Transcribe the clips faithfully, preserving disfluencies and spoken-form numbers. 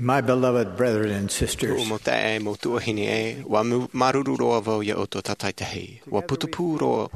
My beloved brethren and sisters, Kuʻu mau taeaʻe, mau tuahine ē, ʻua mu-, māuruuru roa vau iā ʻoutou tātaitahi. ʻUa putupū roa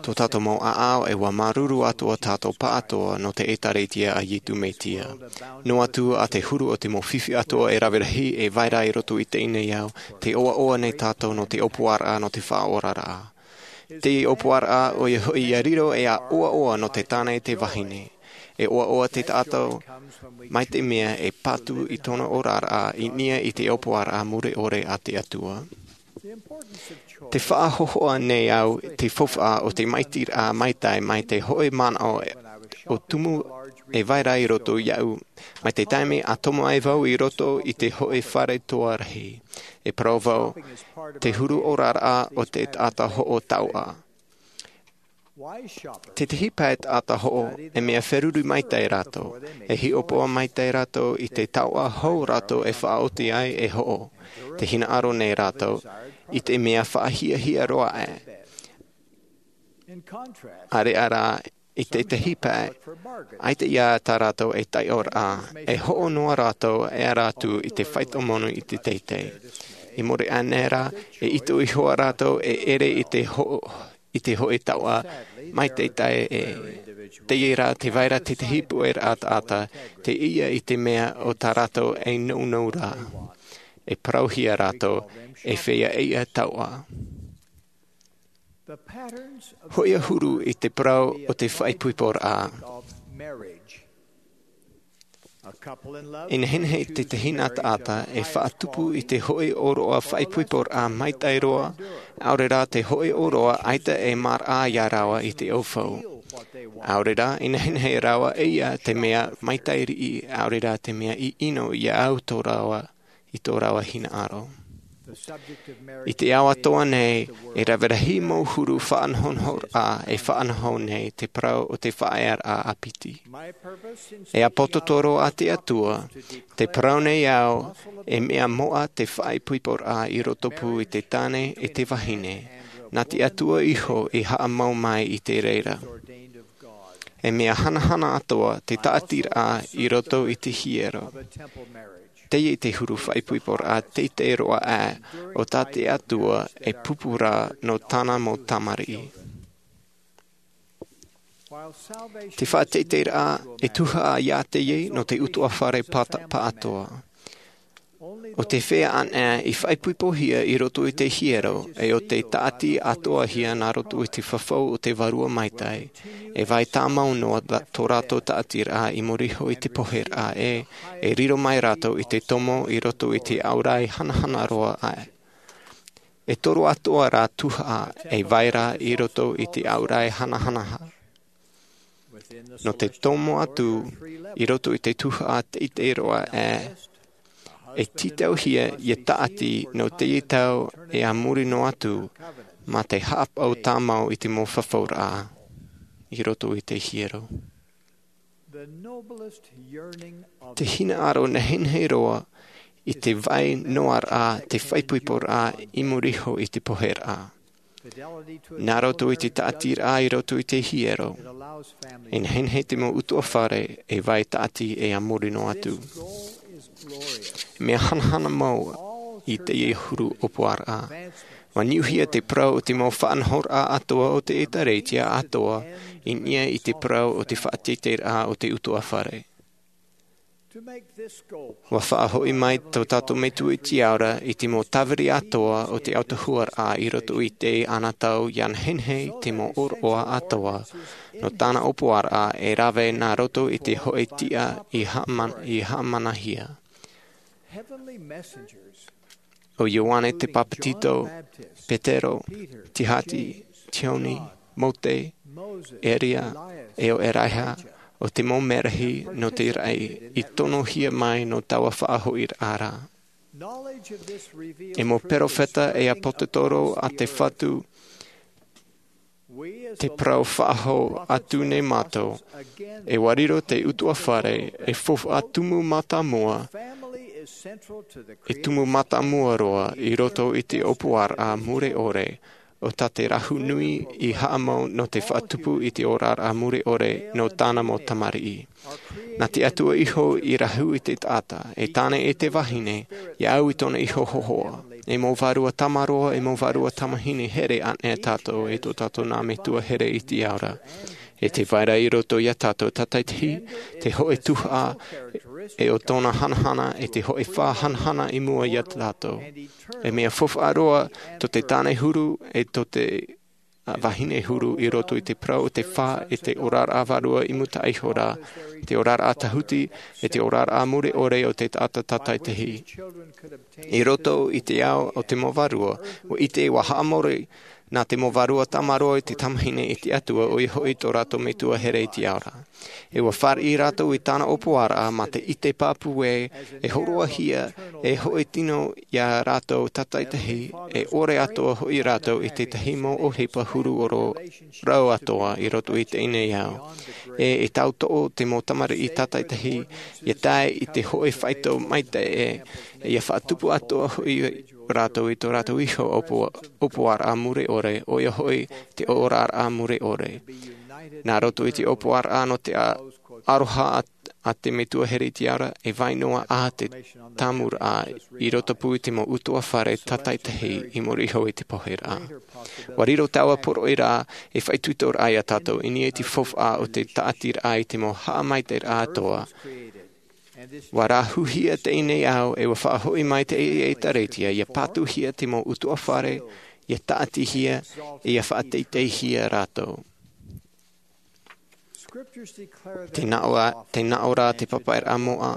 tō tātou mau ʻāʻau, ʻe ʻua māuruuru atoʻa tātou pāʻatoʻa nō te ʻĒtārētia a Iesu Mesia. Noa atu ā te huru o te mau fifi atoʻa e rave rahi, e vai ra i roto i teie nei ao, tē ʻoaʻoa nei tātou nō te ʻōpuaraʻa nō te faʻaoraraʻa. Te ʻōpuaraʻa ʻoia hoʻi ʻia riro ʻe ʻia ʻoaʻoa nō te tāne ʻe te vahine. E ʻoaʻoa te taʻata mai te mea e patu i tōna oraraʻa i niʻa i te ʻōpuaraʻa mure ʻore a te Atua. Te faʻahōhoʻa nei au te faufaʻa o te maitiraʻa maitaʻi mai te hōʻē manaʻo ʻo tumu e vai ra i roto iāʻu, mai te taime ʻa tomo ai vau i roto i te hōʻē fare toa rahi. E parau vau, te huru oraraʻa o te taʻata hoʻo taoʻa. Tētahi pae taʻata hoʻo, e mea feruri maitaʻi rātou, e hiʻopoʻa maitaʻi rātou i te taoʻa hou rātou e faʻaoti ai e hoʻo. Te hinaʻaro nei rātou i te mea faʻahiahia roa aʻe. ʻĀreʻa rā, i tētahi pae, ʻaita ïa tā rātou e taiʻoraʻa, e hoʻo noa rātou e ara atu i te faito moni i te teitei. I muri aʻe nei rā, e ʻite iho ā rātou e ʻere i te ho-, i te hōʻē taoʻa mai te tae ē. Teie rā, tē vai ra tētahi puʻeraʻa taʻata, tē ʻite i te mea ʻo tā rātou e nounou ra. E parauhia rātou, e feiā ïa taoʻa. Hōʻē huru i te parau o te faʻaipoiporaʻa. E nehenehe tētahi nā taʻata e faʻatupu i te hōʻē ʻōroʻa faʻaipoiporaʻa maitaʻi roa, ʻaore rā te hōʻē ʻōroʻa ʻaita e maraʻa iā rāua i te ʻaufau. ʻAore rā, e nehenehe rāua e ʻite te mea maitaʻi riʻi, ʻaore rā te mea ʻino iā ʻau tō rāua i tō rāua hinaʻaro. I te ao atoʻa nei, e rave rahi mau huru faʻanahonahoraʻa e faʻanaho nei te parau o te faʻaearaʻa ʻāpiti. E ʻāpōsetolo a te Atua, tē parau nei au, e mea moʻa te faʻaipoiporaʻa i rotopū i te tāne ʻe te vahine, nā te Atua iho i haʻamau mai i te reira. E mea hanahana atoʻa te tāʻatiraʻa i roto i te hiero. Teie te huru faʻaipoiporaʻa teitei roa aʻe o tā te Atua e pūpū ra nō tāna mau tamariʻi. Te faʻateiteiraʻa e tuhaʻa iā teie nō te utuafare pāta-, pāʻatoʻa. ʻO te feiā anaʻe i faʻaipoipohia i roto i te hiero, ʻe ʻo tei tāʻati atoʻahia nā roto i te fafau o te Vārua Maitaʻi, e vai tāmau noa ra-, tō rātou tāʻatiraʻa i muri iho i te poheraʻa ē, e riro mai rātou i te tomo i roto i te ʻauraʻi hanahana roa aʻe. E toru atoʻa rā tuhaʻa e vai ra i roto i te ʻauraʻi hanahana. Nō te tomo atu i roto i te tuhaʻa teitei roa aʻe, e tītauhia ʻia tāʻati nō teie tau ʻe a muri noa atu, mā te haʻapaʻo tāmau i te mau fafauraʻa i roto i te hiero. Te hinaʻaro nehenehe roa i te vai noa ra te faʻaipoiporaʻa i muri iho i te poheraʻa. Nā roto i te tāʻatiraʻa i roto i te hiero, e nehenehe te mau utuafare e vai tāʻati ʻe a muri noa atu. Mea hanahana mau i teie huru ʻōpuaraʻa. ʻUa niuhia te parau o te mau faʻanahoraʻa atoʻa o te ʻĒtārētia atoʻa, i niʻa i te parau o te faʻateiteiraʻa o te utuafare. ʻUa faʻahoʻi mai tō tātou Metua i te Ao ra i te mau tāviri atoʻa o te autahuʻaraʻa i roto i teie tau ʻia nehenehe te mau ʻōroʻa atoʻa nō tāna ʻōpuaraʻa e rave nā roto i te hōʻē tiʻa i haʻaman-, i haʻamanahia. ʻO Ioane te Papetito, Petero, Tihati, Tioni, Mōte, Eria, ʻe ʻo Eraiha, ʻo te mau merahi nō te raʻi i tonohia mai nō taua faʻahoʻiraʻa ra. E mau perofeta ʻe ʻāpōsetolo a te Fatu, te parau faʻahou atu nei mātou, e ʻua riro te utuafare ei faufaʻa tumu mātāmua, e tumu mātāmua roa i roto i te ʻōpuaraʻa mure ʻore, ʻo tā te rahu nui i haʻamau nō te faʻatupu i te oraraʻa mure ʻore nō tāna mau tamariʻi. Nā te Atua iho i rahu i te taʻata, e tāne e te vahine, ia au i tōna iho hōhoʻa. E mau vārua tamaroa, e mau vārua tamahine here ānei tātou, e tō tātou nā metua here i te ao ra. E te vai ra i roto iā tātou tātaitahi, te hōʻē tuhaʻa, e ʻo tōna hanahana, e te hōʻē fā hanahana i mua iā tātou. E mea faufaʻa roa tō te tāne huru, e tō te, ā, vahine huru i roto i te parau o te fā, e te oraraʻa vārua i mūtaʻa iho ra, te oraraʻa tāhuti, e te oraraʻa mure ʻore o te taʻata tātaitahi. I roto i te ao o te mau vārua, ʻua ʻite, ʻua haʻamori nā te mau vārua tamaroa i te tamahine i te Atua, ʻoia hoʻi tō rātou metua here i te ao ra. E ʻua fāriʻi rātou i tāna ʻōpuaraʻa mā te ʻite pāpū ē, e hōroʻahia, e hōʻē tino iā rātou tātaitahi, e ʻore atoʻa hoʻi rātou i te tahi mau ʻohipa huru ʻoro rau atoʻa i roto i teie nei ao. E, e tauturu te mau tamariʻi tātaitahi, ia tae i te hōʻē faito maitaʻi ē, ia faʻatupu atoʻa hoʻi rātou i tō rātou iho ʻōpu-, ʻōpuaraʻa mure ʻore, ʻoia hoʻi te oraraʻa mure ʻore. Nā roto i te ʻōpuaraʻa nō te a-, aroha a, a te metua here i te ao ra, e vai noa ā te tāmuraʻa i roto pū i te mau ʻutuāfare tātaitahi i muri iho i te poheraʻa. ʻUa riro taua poroʻi ra e faʻaitoitoraʻa iā tātou, i niʻa i te faufaʻa o te tāʻatiraʻa i te mau haʻamaitaʻiraʻa atoʻa. ʻUa rāhuhia teie nei ao, e ʻua faʻahoʻi mai te ʻēʻētaretia, ia pātūhia te mau ʻutuāfare, ia tāʻatihia, e ia faʻateiteihia rātou. Te naʻo a-, te naʻo ra te papaʻiraʻa moʻa,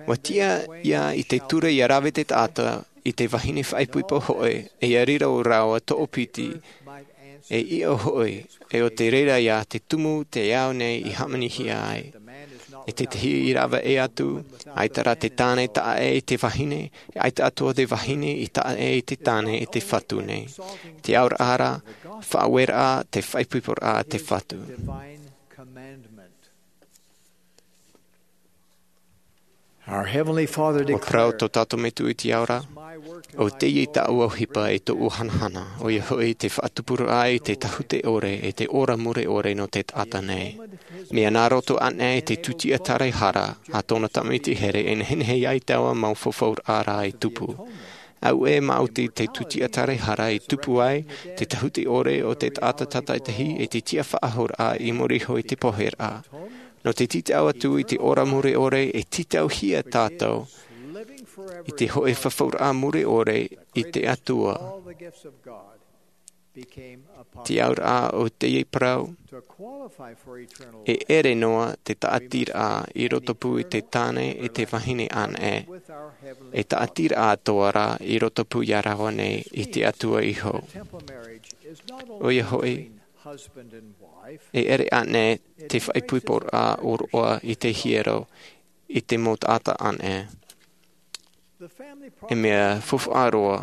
ʻua tiʻa ia i te ture ia rave te taʻata, i te vahine faʻaipoipo hoʻi, e ia riro rāua toʻopiti, e ʻiʻo hoʻi, e ʻo te reira ia te tumu te ao nei i hāmanihia ai. E tētahi i rave ʻē atu, ʻaita rā te tāne taʻa ʻē i te vahine, e ʻaita atoʻa te vahine i taʻa ʻē i te tāne e te Fatu nei. Te aoraʻa ra, faʻaueraʻa, te faʻaipoiporaʻa a te Fatu. Our Heavenly Father ʻUa parau declared, tō tātou Metua i te ao ra, "ʻO teie tāʻu ʻohipa e tōʻu hanahana, ʻoia hoʻi te faʻatupuraʻa i te tāhute ʻore e te ora mure ʻore nō te taʻata nei." Mea nā roto ānei i te tūtia taraehara a tōna tamaiti here e nehenehe ai taua mau fafauraʻa ra i tupu. Auē maoti te tūtia taraehara i tupu ai te tāhute ʻore o te taʻata tātaitahi e te tiʻa faʻahouraʻa i muri iho i te poheraʻa. Nō te tītau atu i te ora mure ʻore e tītauhia tātou i te hōʻē fafauraʻa mure ʻore i te Atua. Te auraʻa o teie parau, e ʻere noa te tāʻatiraʻa i roto pū i te tāne e te vahine ānei, e tāʻatiraʻa atoʻa ra i roto pū iā rāua nei i te Atua iho. ʻOia hoʻi, e ʻere ānei te faʻaipoiporaʻa ʻōroʻa i te hiero, i te mau taʻata ānei. E mea faufaʻa roa,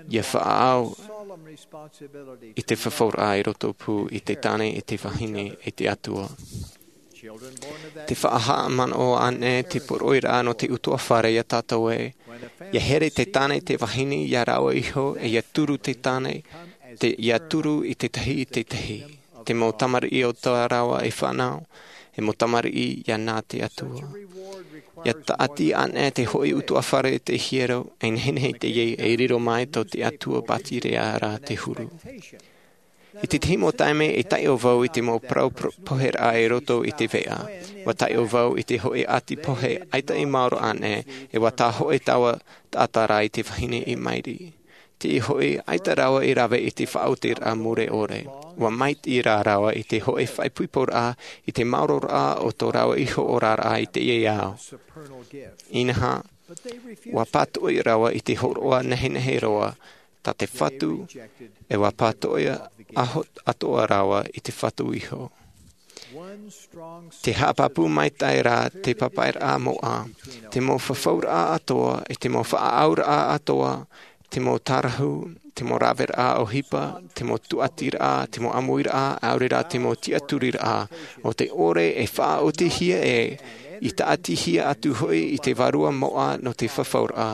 ia faʻaau i te fafauraʻa i roto pū i te tāne e te vahine e te Atua. Te faʻahaʻamanaʻo ānei te poroʻi ra nō te ʻutuāfare iā tātou ē, ia here te tāne te vahine iā rāua iho e ia turu te tāne, te, ia turu i te tahi i te tahi. Te mau tamariʻi o tā rāua e fānau, e mau tamariʻi iā nā te Atua. Ia tāʻati ānei te hōʻē ʻutuāfare te hiero, e nehenehe teie e riro mai tō te Atua pātireia ra te huru. I te tahi mau taime e taiʻo vau i te mau parau pro-, poheraʻa i roto i te veʻa. ʻUa taiʻo vau i te hōʻē ʻati pohe ʻaita i maoro ānei, e ʻua tā hōʻē taua taʻata ra i te vahine i mairi. Teie hoʻi, ʻaita rāua i rave i te faʻaotiraʻa mure ʻore. ʻUa maitaʻi rā rāua i te hōʻē faʻaipoiporaʻa i te maororaʻa o tō rāua iho oraraʻa i teie ao. Inaha, ʻua pātoʻi rāua i te hōroʻa nehenehe roa, tā te Fatu, e ʻua pātoʻi aho-, atoʻa rāua i te Fatu iho. Te haʻapāpū maitaʻi ra te papaʻiraʻa moʻa, te mau fafauraʻa atoʻa, e te mau faʻaauraʻa atoʻa, te mau tārahu, te mau raveraʻa ʻohipa, te mau tūʻatiraʻa, te mau ʻāmuiraʻa, ʻaore rā te mau tiʻaturiraʻa, ʻo te ʻore e faʻaotihia ē, i tāʻatihia atu hoʻi i te Vārua moʻa nō te fafauraʻa,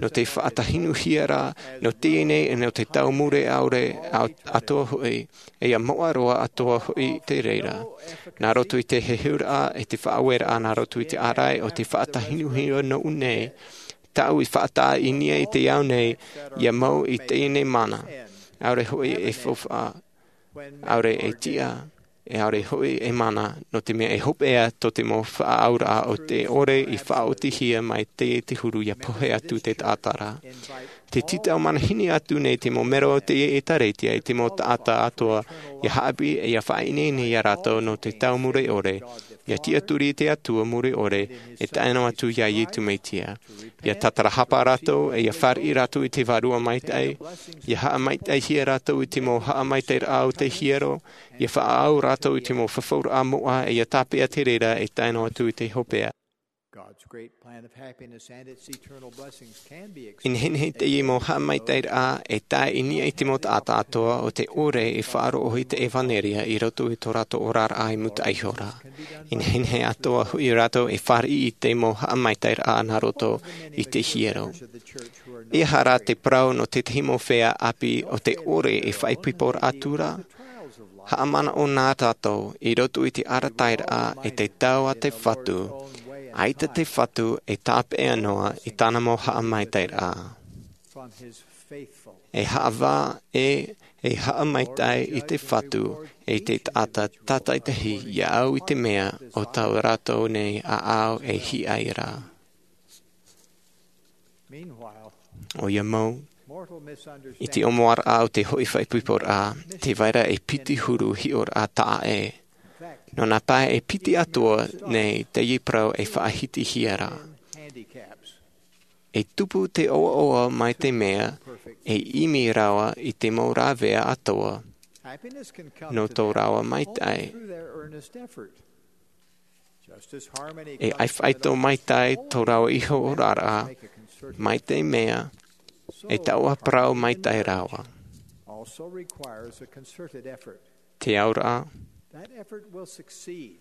nō te faʻatahinuhia ra, nō teie nei, nō te tau mure ʻaore, ʻa-, atoʻa hoʻi, e ia moʻa roa atoʻa hoʻi te reira. Nā roto i te heheuraʻa, e te faʻaueraʻa, nā roto i te ʻārai, ʻo te faʻatahinuhia nōʻu nei, tāʻu i faʻatae i niʻa i te ao nei, ia mau i teie nei mana. ʻAore hoʻi e faufaʻa, ʻaore e tiʻa, e ʻaore hoʻi e mana, nō te mea e hopeʻa tō te mau faʻaauraʻa o te ʻore i faʻaotihia mai te, te huru ia pohe atu te taʻata ra. Te tītau manihini atu nei te mau mero o te ʻētāretia i te mau taʻata atoʻa, ia haʻapiʻi, e ia faʻaineine ia rātou nō te tau mure ʻore, ia tiʻaturi i te Atua mure ʻore, e tae noa atu ia Iesu Mesia. Ia tātarahapa rātou, e ia fāriʻi rātou i te Vārua Maitaʻi, ia haʻamaitaʻihia rātou i te mau haʻamaitaʻiraʻa o te hiero, ia faʻaau rātou i te mau fafauraʻa moʻa, e ia tāpeʻa te reira, e tae noa atu i te hopeʻa. God's great plan of happiness and its eternal blessings can be explained. I nehenehe teie mau haʻamaitaʻiraʻa e tae i niʻa i te mau taʻata atoʻa ʻo te ʻore e faʻaroʻo i te ʻevanelia i roto i tō rātou oraraʻa i mūtaʻa iho ra. I nehenehe atoʻa hoʻi rātou e fāriʻi i te mau haʻamaitaʻiraʻa nā roto i te hiero. E aha rā te parau nō tētahi mau feiā ʻāpī ʻo te ʻore e faʻaipoiporaʻa atu ra? Haʻamanaʻo na tātou i roto i te arataʻiraʻa e te tau a te Fatu, ʻaita te Fatu e tāpeʻa noa i tāna mau haʻamaitaʻiraʻa. E haʻavā ē, e haʻamaitaʻi i te Fatu, e te taʻata tātaʻitahi ia au i te mea ʻo tā rātou nei ʻāʻau e hiʻa ra. ʻOia mau, i te ʻōmuaraʻa o te hoʻi faʻaipoiporaʻa, tē vai ra e piti huru hiʻoraʻa taʻa ʻē. Nō nā pae e piti atoʻa nei teie parau e faʻahitihia ra. E tupu te ʻoaʻoa mai te mea e ʻimi rāua i te mau rāveʻa atoʻa nō tō rāua maitaʻi. E ʻaifaito maitaʻi tō rāua iho oraraʻa, mai te mea e taoʻa parau maitaʻi rāua. Te auraʻa,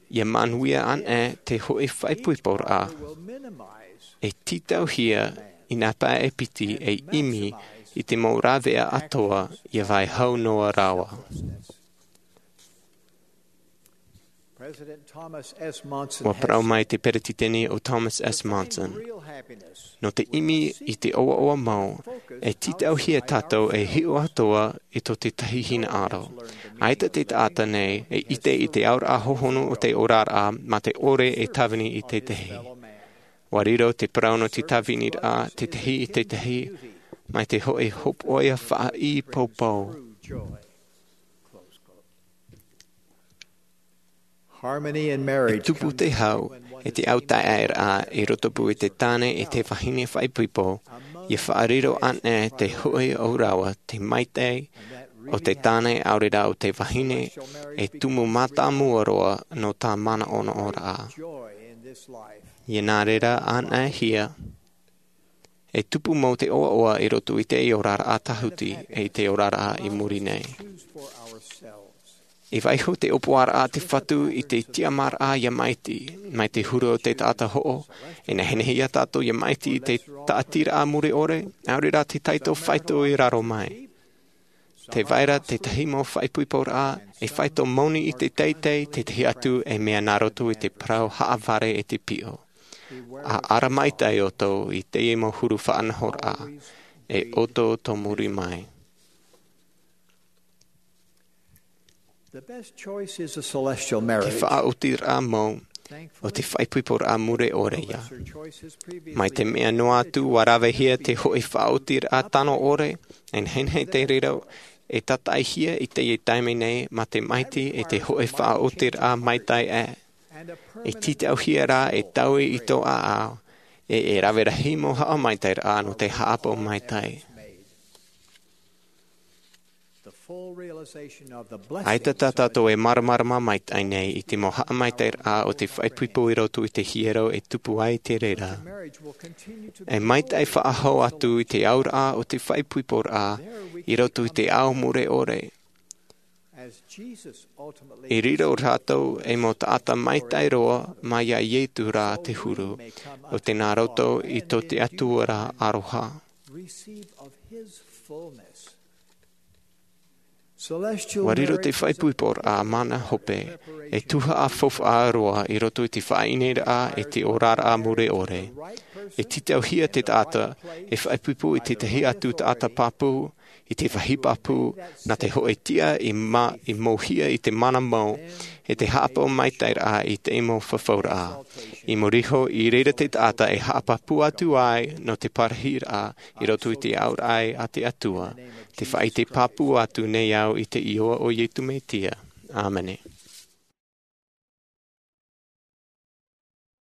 ia manuia anaʻe te hoʻi faʻaipoiporaʻa, e tītauhia i nā pae e piti e ʻimi i te mau rāveʻa atoʻa ia vai hau noa rāua. Ua parau mai te peretiteni ʻo Thomas S. Monson, nō te ʻimi i te ʻoaʻoa mau, e tītauhia tātou e hiʻo atoʻa i tō tētahi hinaʻaro. ʻAita te taʻata nei e ʻite i te auraʻa hohonu o te oraraʻa mā te ʻore e tāvini i tētahi. Ua riro te parau nō te tāviniraʻa tētahi i tētahi, mai te hoʻi hōpoiʻa faʻaʻī poupou. E tupu te hau e te autaeaʻeraʻa i rotopū i te tāne e te vahine faʻaipoipo, ia faʻariro anaʻe te hoʻi ʻo rāua te maitaʻi o te tāne ʻaore rā o te vahine e tumu mātāmua roa nō tā manaʻonaʻoraʻa. Ia nā reira anaʻe hia, e tupu mau te ʻoaʻoa i roto i te oraraʻa tāhuti e i te oraraʻa i muri nei. E vaiiho te ʻōpuaraʻa a te Fatu i te tiʻamāraʻa ia maʻiti, mai te huru o te taʻata hoʻo, e nehenehe ia tātou ia maʻiti i te tāʻatiraʻa mure ʻore, ʻaore rā te taito faito i raro mai. Tē vai ra tētahi mau faʻaipoiporaʻa e faito moni i te teitei, tētahi atu e mea nā roto i te parau haʻavare e te piʻo. ʻA ara maitaʻi ʻoutou i teie mau huru faʻanahoraʻa, e ʻoutou tō muri mai. Te faʻaotiraʻa mau, ʻo te faʻaipoiporaʻa mure ʻore ia. Mai te mea noa atu ua ravehia te hoʻi faʻaotiraʻa tano ʻore, e nehenehe te reira e tātaʻihia i teie taime nei mā te maʻiti e te hoʻi faʻaotiraʻa maitaʻi ʻē. E tītauhia rā e taui i tō ʻāʻau, e, e rave rahi mau haʻamaitaʻiraʻa nō te haʻapaʻo maitaʻi. ʻAita tā tātou e māramarama maitaʻi nei i te mau haʻamaitaʻiraʻa o te faʻaipoipo i roto i te hiero e tupu ai te reira. E maitaʻi faʻahou atu i te auraʻa o te faʻaipoiporaʻa i roto i te ao mure ʻore. I riro rātou ei mau taʻata maitaʻi roa mai iā Ietu rā te huru, ʻo tēnā roto i tō te Atua rā aroha. Ua riro te faʻaipoiporaʻa mana hope, e tuhaʻa faufaʻa roa i roto i te faʻaineineraʻa e te oraraʻa mure ʻore. E tītauhia te taʻata e faʻaipoipo i tētahi atu taʻata pāpū, i te vāhi pāpū, nā te hōʻē tiʻa i ma-, i mōhia i te mana mau, e te haʻapaʻo maitaʻiraʻa i te mau fafauraʻa. I muri iho, i reira te taʻata e haʻapāpū atu ai nō te parahiraʻa i roto i te auraʻa a te Atua, te faʻaʻite pāpū atu nei au i te iʻoa o Ietu Metia. ʻĀmene.